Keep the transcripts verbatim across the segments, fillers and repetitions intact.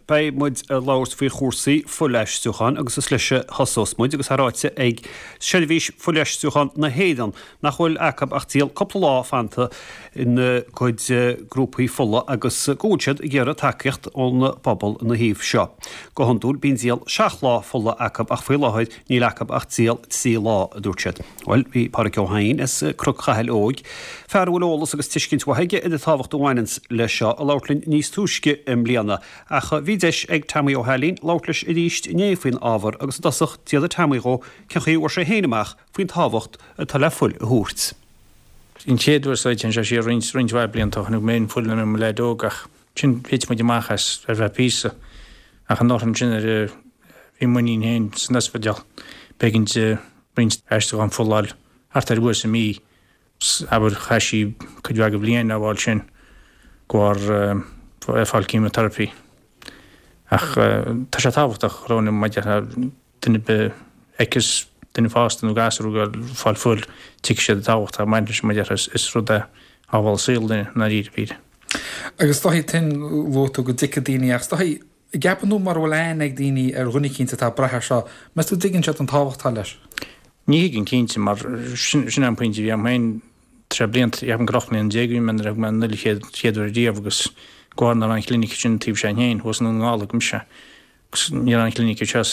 Beidh muid ag labhairt faoi chúrsaí fuilaistriúcháin agus is leis a thosós muid agus é ráite ag Seirbhís Fuilaistriúcháin na hÉireann nach bhfuil acu ach díol cúpla lá fanta ina gcuid grúpaí fola agus go bhfuil siad ag iarraidh tacaíocht ón bpobal ina thaobh seo. Go hiondúil bíonn díol seacht lá fola acu ach faoi láthair níl acu ach díol trí lá, a dúirt siad. Bhuel, bhí Pádraig Ó hEidhin as Cnoc Chathail Óig, fear a bhfuil eolas agus tuiscint mhaith aige ar an tábhacht a bhaineanns leis seo, ag labhairt linn níos túisce i mbliana, ach bhí deis ag Tommy Ó hAilín labhairt leis arís inné faoin ábhar agus i dtosach d'fhiafraigh Tommy dhó cén chaoi a bhfuair sé féin amach faoin tábhacht atá le fuil a thabhairt. An chéad uair sa téann sé siar roinnt roinnt mhaith blianta ó tháinig mé in fuil nuair mo leaid óg ach sin thit muid amach as ar feadh píosa ach an uair sin ar bhí m'iníon féin san ospidéal b'éigean di roinnt aistriúchán fola a fháil thart ar uair sa mí abair chaith sí cuid mhaith de bhliain á bhfáil sin de bharr ag fáil chemotherapy. Ach tá sé tábhachtach Róna maidir le duine ar bith fheiceas duine fásta nó gasúr ag fáil fuil tuigfidh siad an tábhacht atá ag baint leis maidir is rud é a shábháil saol duine i ndáiríre píre. Agus is dóichí tin luaigh tú go dtuigfidh daoine ach is dóichí gceapann tú mura bhfuil aithne ag daoine ar dhuine eicínt atá ag brath air seo, meas tú dtuigeann siad an tábhacht atá leis? Ní thuigeann cinnte mar sin sin an pointe a bhí agam féin trí blianta, ceapaim gur ocht mbliana déag a bhí mé nuair a thug mé an fhuil chéad chéad uair riamh agus de bharr nach raibh an chlinic sin taobh seo féin thuas i nDún na nGall a thug mise agus ní raibh an chlinic anseo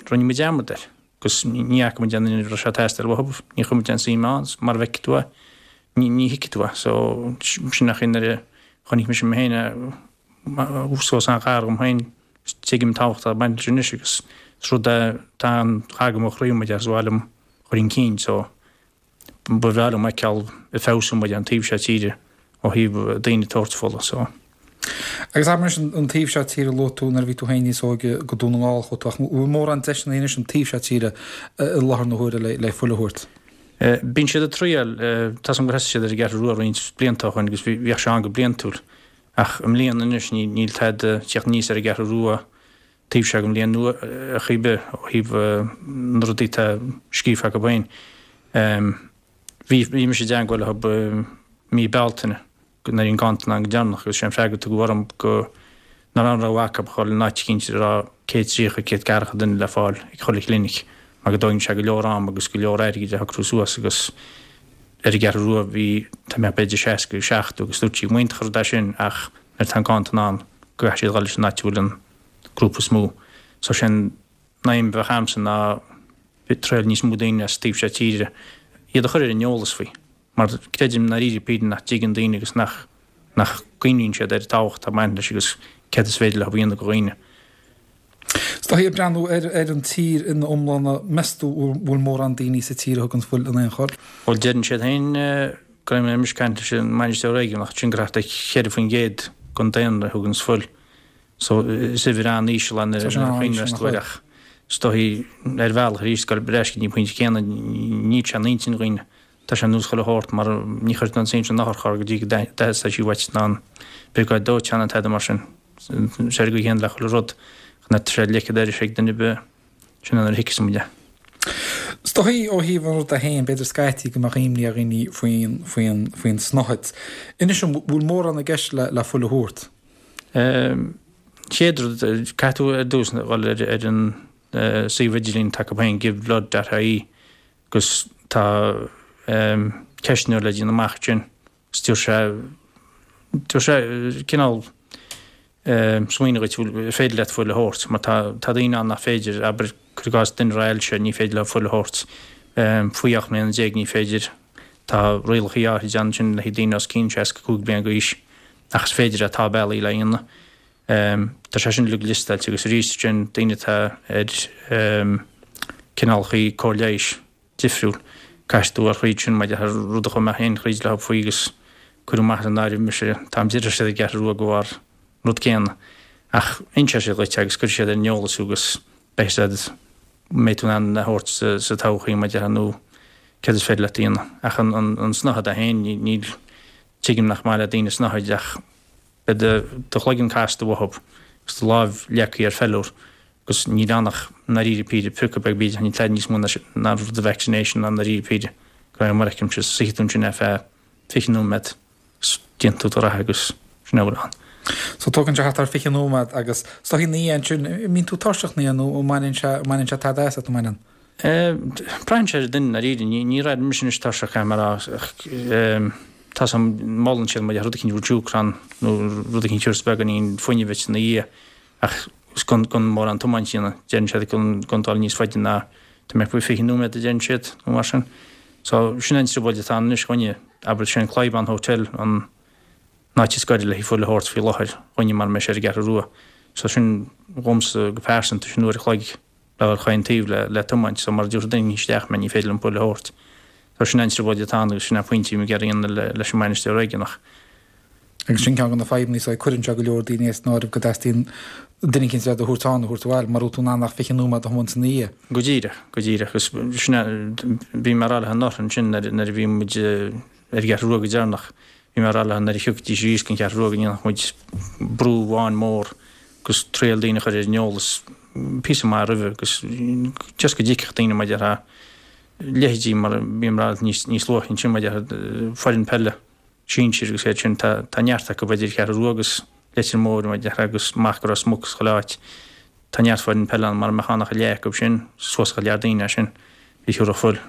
rinne muid dearmad air agus ní fhaca muid aon duine a raibh sé ag teastáil uathu, ní chuir muid aon suim ann mar a bhfeicfidh tú é ní ní thuigfidh tú é so sin an chaoi nuair a chonaic mise mé féin é suas an-ghar dhom féin tuigim an tábhacht atá ag baint leis anois agus is rud é tá an-ghar do mo chroí muid as bhaile liom chur chun cinn so ba bhreá liom feiceáil ag feabhsú muid an taobh seo tíre ó thaobh daoine ag tabhairt fola so. Agus abair anois an taobh seo tíre luaigh tú nuair a bhí tú féin níos óige go Dún na nGall chuaigh tú ach bhfuil mórán deiseanna anois an taobh seo tíre i láthair na huaire le le fuil a thabhairt? Bíonn siad ag triail, tá 's agam gur thosaigh siad ar an gCeathrú Rua roinnt blianta ó shin agus bhíodh sé ann go bliantúil ach i mbliana anois níl tada ag teacht aníos ar an gCeathrú Rua taobh seo den bhliain nua ar chaoi ar bith ó thaobh na rudaí atá scríofa acu féin. Bhí bhí mise i dteagmháil leo mí Bealtaine nuair a bhí an ganntan ann go deireanach agus sé an freagra a tugadh orm go nach raibh aon rogha acu ach dhul in áit eicínt a raibh céad tríocha, céad ceathracha duine le fáil ag chuile chlinic mar go dtógann sé go leor am agus go leor airgid a shocrú suas agus ar an gCeathrú Rua bhí tá mé b'fhéidir seasca agus seachtó agus dúirt sí go mb'iontach an rud é sin ach nuair atá an ganntan ann go gcaithfidh siad dhul leis an áit a bhfuil an grúpa is mó. So sin an aidhm a bheadh a'msa ná triail níos mó daoine as taobh seo tíre iad a chur ar an eolas faoi mar creidim i ndáiríre píre nach dtuigeann daoine agus nach nach gcuimhníonn siad ar an tábhacht atá ag baint leis agus céard is féidir leo a dhéanamh do dhaoine. Is dóichí ag breathnú ar ar an tír ina iomláine, meas tú bhfuil mórán daoine sa tír a thugann fuil in aon chor? Bhuel deireann siad féin go raibh mé ag caint leis an mbainisteoir réigiúnach ansin gur thart ar cheithre faoin gcéad den daonra a thugann fuil. So is uimhir an-íseal é nuair a chuimhneos tú air ach is dóichí ar bhealach arís ag dul ar ais go dtí an pointe céanna níl sé in intinn dhaoine. Tá sé ar nós chuile shórt mar ní chuirtear an suim san otharcharr go dtí go dteastaíonn sí uait ná an briogáid dóiteáin ná tada mar sin. Is ar an gcaoi chéanna le chuile rud ach nuair atá sé ligthe d'aris ag duine ar bith sin é nuair a thuigfeas muid é. Is dóichí ó thaobh an ruda féin, b'fhéidir scaití go mbeadh imní ar dhaoine faoin, faoin, faoin snáthaid. Anois an bhfuil mórán i gceist le, le fuil a thabhairt? Chéad rud, caithfidh tú ar dtús dhul ar, ar an suíomh idirlín atá acu féin, giveblood.ie, agus tá ceistneoir le déanamh amach ansin agus tabharfaidh sé tabharfaidh sé cineál smaoineamh dhuit bhfuil féidir leat fuil a thabhairt mar tá tá daoine ann nach féidir, abair cuir i gcás duine a raibh ailse ní féidir leo fuil a thabhairt, faoi ocht mbliana déag ní féidir, tá rialacha áirid ann sin le haghaidh daoine os cionn seasca cúig bliana d'aois ach is féidir é, tá bealaí le dhéanamh. Tá sé sin uilig liostáilte agus arís sin daoine atá ar cineálacha cóir leighis difriúil. Caithfidh tú a thríd sin maidir le rud a chuaigh mé féin thríd leo faoi agus cuireadh amach as an áireamh mise, táim d'iarraidh siad ag Ceathrú Rua de bharr an rud céanna. Ach inseoidh siad dhuit agus cuirfidh siad ar an eolas thú agus beidh siad, mbeidh tú in ann a thabhairt sa todhchaí maidir le nó céard is féidir leat a dhéanamh. Ach an an snáthaid é féin, níl, tuigim nach maith le daoine snáthaid ach beidh do chloigeann casta uathu agus do láimh leagtha ar feiliúr agus níl ann ach i ndáiríre píre, priocadh beag bídeach, níl tada níos mó ná rud de vaccination ná i ndáiríre píre, de réir mar a fheicimse, suífidh tú ansin ar feadh fiche nóiméad agus déanfaidh tú do rogha agus sin é a bhfuil ann. So tógann sé thart ar fiche nóiméad agus is dóichí ina dhiaidh ansin, an mbíonn tú tuirseach ina dhiaidh nó an mbaineann sé, an mbaineann sé tada asat, an mbaineann? Braitheann sé ar an duine ndáiríre, ní, ní raibh mise anois tuirseach caithfidh mé a rá ach tá 's a'm, molann siad maidir le rud eicínt Rejucron nó rud eicínt a thabharfas beagáinín fuinnimh duit ina dhiaidh ach gan, gan mórán tiomáint a dhéanamh, deireann siad gan, gan dul níos faide ná tá mé faoi fiche nóiméad a deireann siad nó mar sin. So sin an trioblóid atá ann anois dhúinne, abair sé an Clybaun Hotel an an áit is gaire le haghaidh fuil a thabhairt faoi láthair dhúinne mara mbeidh sé ar an gCeathrú Rua. So sin dhomsa go pearsanta sin uair a chloig le dhul chaon taobh le le tiomáint so mara dtabharfaidh duine isteach mé ní féidir liom fuil a thabhairt. So sin an trioblóid atá ann agus sin an pointe a bhí mé ag iarraidh a dhéanamh le leis an mbainisteoir réigiúnach. Agus sin ceann de na fadhbanna so cuireann sé go leor daoine as an áireamh go dteastaíonn duine eicínt le do thabhairt ann, a thabhairt abhaile, mara bhfuil tú in ann ach fiche nóiméad a thiomáint ina dhiaidh. Go díreach, go díreach. Agus sin é, bhí mé ag rá leo anuraidh ansin nuair nuair a bhí muid ar an gCeathrú Rua go deireanach, bhí mé ag rá leo nuair a thiocfaidís arís don Cheathrú Rua go ndéanfadh muid brú amháin mór agus triail daoine a chur ar an eolas píosa maith roimhe agus just go dtuigfeadh daoine mar a déarfá leithéidí mar a bhí mé ag rá níos níos luaithe ansin mar a déarfá foireann peile sinsir agus iad sin tá tá neart acu idir Cheathrú Rua agus Leitir Móir mar a déarfá agus amach go Ros Muc is chuile áit. Tá neart foireann peile ann mara mbeadh ann ach a leath acu sin suas go lear daoine é sin a thiúrfadh fuil.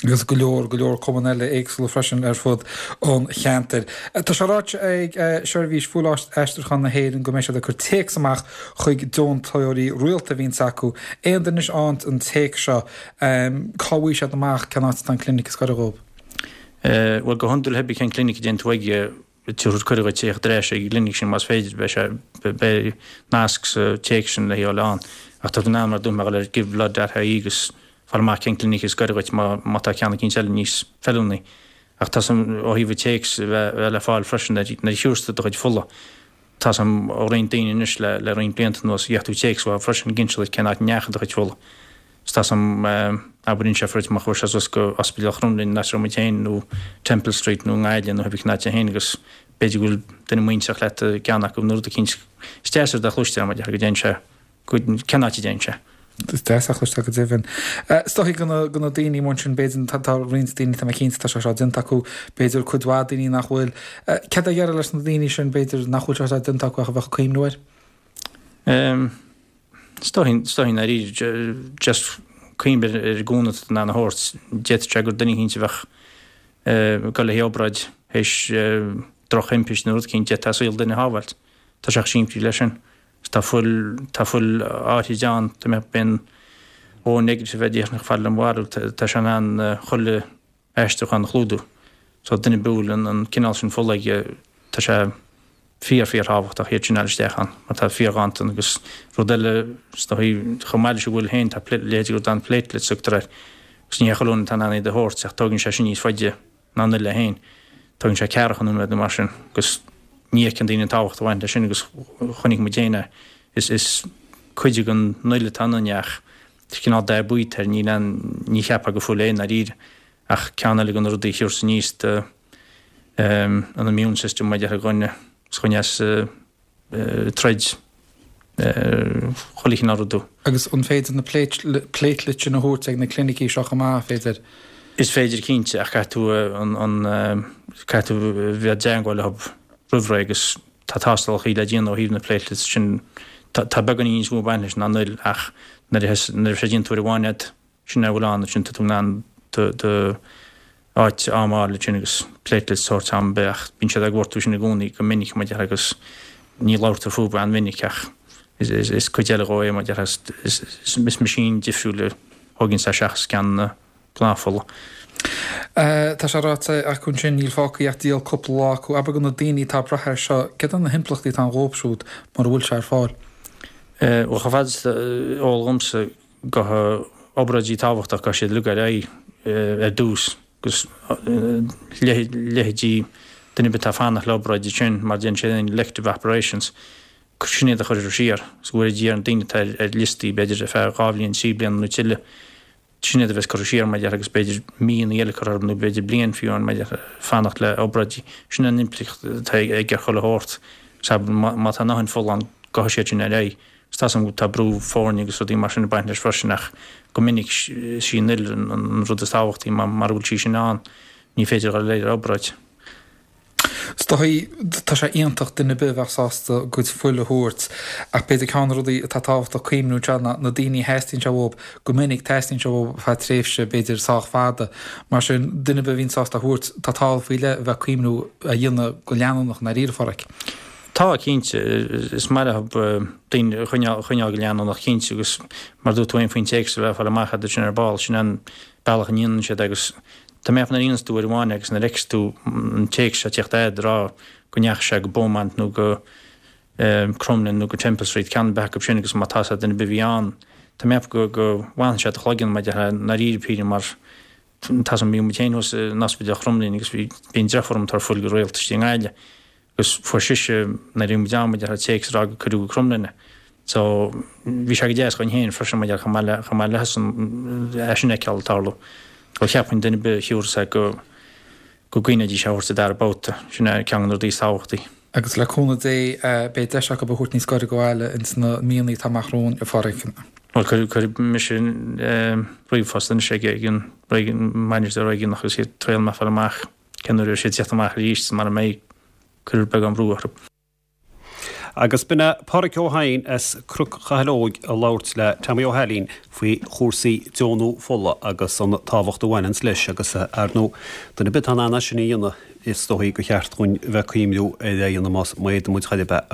Agus go leor, go leor cumann eile éagsúla freisin ar fud an cheantair. Tá sé ráite ag Seirbhís Fuilaistriúcháin na hÉireann go mbeidh siad ag cur téacs amach chuig deontóirí rialta a bhíonns acu. Aon duine anois a fhaigheann an téacs seo, cá bhfaighidh siad amach cén áit atá an clinic is gaire dhóibh? Bhuel, go hiondúil pé ar bith cén clinic a dtéann tú chuige, tabharfar cuireadh dhuit teacht ar ais ag an gclinic sin más féidir, beidh sé, beidh nasc sa téacs sin le dhul ann. Ach tá tú in ann mar a dúirt mé a dhul ar giveblood dot ie agus fáil amach cén clinic is gaire dhuit má má tá ceann eicínt eile níos feiliúnaí. Ach tá 's a'm ó thaobh an téacs a bheith bheith le fáil freisin nuair nuair a thiúrfas tú do chuid fola. Tá 's a'm ó roinnt daoine anois le le roinnt blianta anuas gheobhaidh tú téacs uathu freisin ag inse duit cén áit a ndeachaigh do chuid fola. 'S tá 's a'm abair inseofar duit má chuaigh sé suas go Ospidéal Chromghlinn an áit a raibh muid féin nó Temple Street nó i nGaillimh nó pé ar bith cén áit é féin agus b'fhéidir go bhfuil duine muinteartha leat i gceann acu nó rud eicínt. Is deas rud a chloisteáil mar a déarfá go dtéann sé go cén áit a dtéann sé. Is deas a chloisteáil go deimhin. Is dóichí do na do na daoine amuigh ansin b'fhéidir tá tá roinnt daoine tá mé cinnte tá sé seo déanta acu b'fhéidir cuid mhaith daoine nach bhfuil. Céard a déarfá leis na daoine sin b'fhéidir nach bhfuil sé seo déanta acu ach a bheadh ag cuimhniú air? Is dóichí is dóichí ndáiríre just cuimhnigh ar an gcúnamh atá in ann a thabhairt. D'fhéadfadh sé gur duine eicínt a bheadh ag dul le haghaidh obráid théis drochthimpiste nó rud eicínt d'fhéadfá saol duine a shábháilt. Tá sé chomh simplí leis sin. Tá fuil, tá fuil áirid ann, tá mé, bíonn O negative a déarfainn chomh fada le mo bharúil, tá sé in ann chuile aistriúchán a chlúdú. So duine ar bith a bhfuil an cineál sin fola aige, tá sé fíor, fíor thábhachtach iad sin a fháil isteach ann mar tá fíor-ghanntan agus rud eile is dóichí chomh maith leis an bhfuil féin tá leithéidí rud ann platelets a thugtar air agus ní hé chuile dhuine atá in ann iad a thabhairt ach tógann sé sin níos faide ná an fhuil é féin. Tógann sé ceathracha nóiméad nó mar sin agus ní fheiceann daoine an tábhacht a bhaineann leis sin agus chonaic muid féin é. Is is cuid den fhuil atá ionainn ach is cineál dath buí atá air, níl aon, ní cheapfá gur fuil é i ndáiríre ach ceann eile de na rudaí a thiúrfas aníos do an immune system mar a déarfá dhuine is choinneos troid chuile chineál rudaí. Agus an féidir na platelets sin a thabhairt ag na clinicí seo chomh maith, féidir? Is féidir cinnte ach caithfidh tú an caithfidh tú bheith i dteagmháil leo roimh ré agus tá tástálacha le déanamh ó thaobh na platelets sin. Tá beagáinín níos mó ag baint leis ná an fhuil ach nuair a nuair a bheidh sé déanta uair amháin agat sin é a bhfuil ann ansin tá tú in ann do do áit am a fháil ansin agus platelets a thabhairt am ar bith ach bíonn siad ag gortú sin i gcónaí go minic mar a déarfá agus ní labhartar fúthu an-mhinic ach is is is cuid eile dhó é mar a déarfá is is is machine difriúil a thógann sé seachas ceann na gnáthfhola. Tá sé ráite acu ansin níl fágtha ach díol cúpla lá acu. Abair do na daoine atá ag brath air seo, céard iad na himpleachtaí atá ann dhóibh siúd mura bhfuil sé ar fáil? Bhuel chomh fada is eol dhomsa go obráidí tábhachtach gabhfaidh siad uilig ar aghaidh ar dtús agus leithéidí duine ar bith atá ag fanacht le obráid ansin mar déanann siad aon elective operations sin iad a chuirfear siar agus go bhfuil ar na daoine atá ar liostaí b'fhéidir ar feadh dhá bhliain trí bliana nó tuilleadh sin iad a bheas curtha siar mar a déarfá agus b'fhéidir míonna eile curtha orthu nó b'fhéidir bliain fiú amháin mar a déarfá fanacht le obráidí. Sin an impleacht atá ag ar chuile shórt. Sea, má tá a ndóthain fola ann gabhfaidh siad sin ar aghaidh. Agus tá 's agam tá brú foirne agus rudaí mar sin ag baint leis freisin ach go minic is í an fhuil an rud is tábhachtaí mara bhfuil sí sin ann ní féidir dhul ar obráid. Is dóigh, tá sé iontach duine ar bith a bheadh sásta a gcuid fuil a thabhairt ach b'fhéidir ceann de na rudaí atá tábhachtach cuimhniú anseo ná na daoine a theastaíonn sé uathu, go minic teastaíonn sé uathu ar feadh tréimhse b'fhéidir sách fada. Mar sin, duine ar bith a bhíonn sásta a thabhairt, tá tábhacht faoi leith a bheith ag cuimhniú a dhéanamh go leanúnach i ndáiríre, a Pháraic. Tá, cinnte. Is maith leo daoine a choinneáil go leanúnach, cinnte, agus mar a dúirt tú féin faoin téacs a bheith ag fáil amach agat sin ar ball, sin an bealach a ndéanann siad agus Tá mé ag ceapadh nuair a dhéanas tú uair amháin agus nuair a fheiceas tú an téacs seo ag tíocht agat ag rá go ndeachaigh sé go Beaumont nó go Crumlin nó go Temple Street, ceann ar bith acu sin agus má tá duine ar bith a bhí ann, tá mé ag ceapadh go go bhfanann sé i do chloigeann mar déarfá i ndáiríre píre mar tá a fhios agam bhí muid féin thuas in ospidéal Chromghlinn agus bhí bhí an deirfiúr liom ag tabhairt fuil go rialta istigh i nGaillimh agus fuair sise nuair a bhí muid ann mar déarfá téacs ag rá go cuireadh go Crumlin é. So, bhí sé go deas dhúinn féin freisin mar chomh maith le, chomh maith leis-sean é sin a fheiceáil ag tarlú. Bhuel, cheapfainn duine ar bith a thiúrfas é go, go gcuimhneoidís é a thabhairt sa dara babhta. Sin é ceann de na rudaí is tábhachtaí. Agus le cúnamh Dé, beidh deis acu a thabhairt níos gaire do bhaile ins na míonna atá amach romhainn, a Pháraic. Bhuel, cuirfidh mise ríomhphost anois ag an mbainisteoir réigiúnach agus iad triail mé fáil amach cén uair a bheidh siad ag tíocht amach arís mara mbeidh, cuir beagán brú orthu. Agus b'in é Páraic Ó hEidhin as Cnoc Chathail Óig ag labhairt le Tommy Ó hAilín faoi chúrsaí deonú fola agus an tábhacht a bhaineanns leis agus ar ndóigh duine ar bith atá in ann é sin a dhéanamh is dóigh gur cheart dhúinn a bheith ag cuimhniú ar é a dhéanamh más má fhéadann muid chor ar bith.